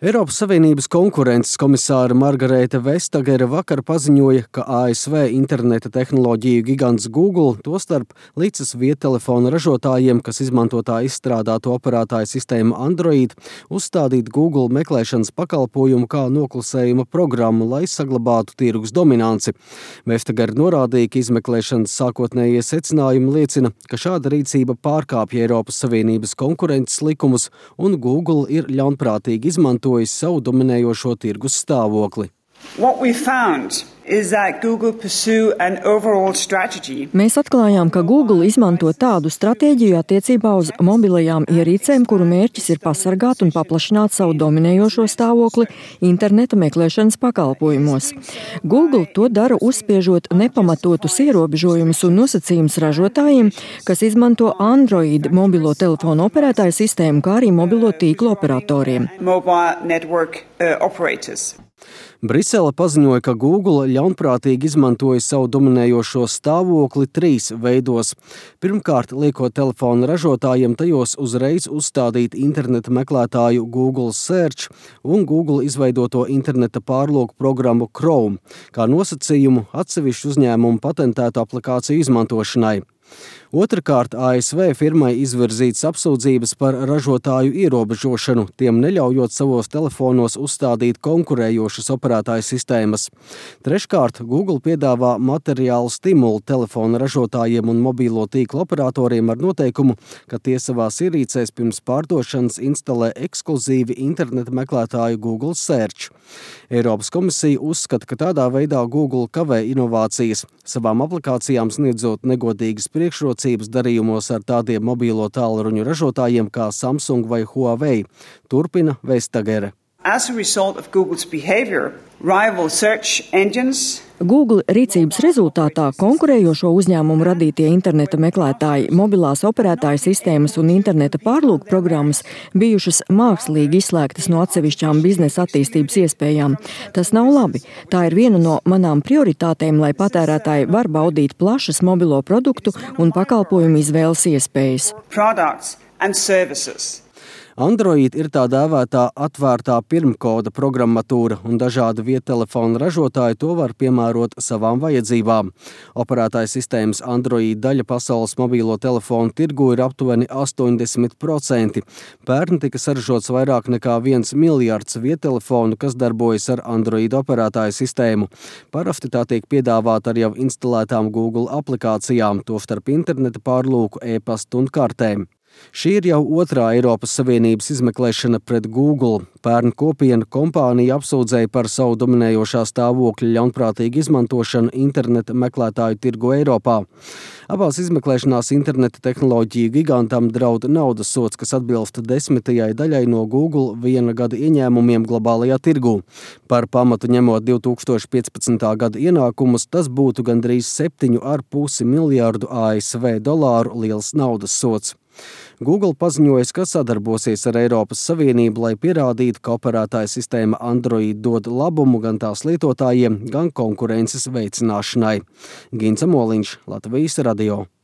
Eiropas Savienības konkurences komisāra Margarete Vestagere vakar paziņoja, ka ASV interneta tehnoloģiju gigants Google, tostarp līdzas viedtelefonu ražotājiem, kas izmanto tā izstrādātu operētāju sistēmu Android, uzstādīt Google meklēšanas pakalpojumu kā noklusējuma programmu, lai saglabātu tirgus dominanci. Vestagere norādīja, ka izmeklēšanas sākotnējie secinājumi liecina, ka šāda rīcība pārkāpja Eiropas Savienības konkurences likumus un Google ir ļaunprātīgi izmantojis savu dominējošo tirgus stāvokli. Mēs atklājām, ka Google izmanto tādu stratēģiju attiecībā uz mobilajām ierīcēm, kuru mērķis ir pasargāt un paplašināt savu dominējošo stāvokli interneta meklēšanas pakalpojumos. Google to dara uzspiežot nepamatotus ierobežojumus un nosacījumus ražotājiem, kas izmanto Android mobilo telefonu operētāju sistēmu, kā arī mobilo tīklu operatoriem. Brisele paziņoja, ka Google ļaunprātīgi izmantoja savu dominējošo stāvokli 3 veidos. Pirmkārt, liekot telefonu ražotājiem tajos uzreiz uzstādīt interneta meklētāju Google Search un Google izveidoto interneta pārlūku programmu Chrome, kā nosacījumu atsevišķu uzņēmumu patentētu aplikāciju izmantošanai. Otrakārt, ASV firmai izvirzītas apsūdzības par ražotāju ierobežošanu, tiem neļaujot savos telefonos uzstādīt konkurējošas operētāju sistēmas. Treškārt, Google piedāvā materiālu stimulu telefonu ražotājiem un mobīlo tīklu operatoriem ar noteikumu, ka tie savās ierīcēs pirms pārdošanas instalē ekskluzīvi interneta meklētāju Google Search. Eiropas komisija uzskata, ka tādā veidā Google kavē inovācijas, savām aplikācijām sniedzot negodīgas priekšrocības darījumos ar tādiem mobīlo tālruņu ražotājiem kā Samsung vai Huawei, turpina Vestagere. Google rīcības rezultātā konkurējošo uzņēmumu radītie interneta meklētāji, mobilās operētāju sistēmas un interneta pārlūku programmas bijušas mākslīgi izslēgtas no atsevišķām biznesa attīstības iespējām. Tas nav labi. Tā ir viena no manām prioritātēm, lai patērētāji var baudīt plašas mobilo produktu un pakalpojumu izvēles iespējas. Android ir tā dēvētā atvērtā pirmkoda programmatūra, un dažādi viedtelefonu ražotāji to var piemērot savām vajadzībām. Operētāja sistēmas Android daļa pasaules mobīlo telefonu tirgu ir aptuveni 80%. Pērn tika saražots vairāk nekā 1 miljards viedtelefonu, kas darbojas ar Android operētāju sistēmu. Parasti tā tiek piedāvāta ar jau instalētām Google aplikācijām, tostarp interneta pārlūku, e-pastu un kartēm. Šī ir jau otrā Eiropas Savienības izmeklēšana pret Google. Pērn kopiena kompānija apsūdzēja par savu dominējošā stāvokļa ļaunprātīgu izmantošanu interneta meklētāju tirgu Eiropā. Abās izmeklēšanās interneta tehnoloģiju gigantam draud naudas sods, kas atbilst 10. daļai no Google 1 gada ieņēmumiem globālajā tirgū. Par pamatu ņemot 2015. gada ienākumus, tas būtu gandrīz 7,5 miljārdu ASV dolāru liels naudas sods. Google paziņoja, ka sadarbosies ar Eiropas Savienību, lai pierādītu, ka operētāja sistēma Android dod labumu gan tās lietotājiem, gan konkurences veicināšanai. Gints Amoliņš, Latvijas radio.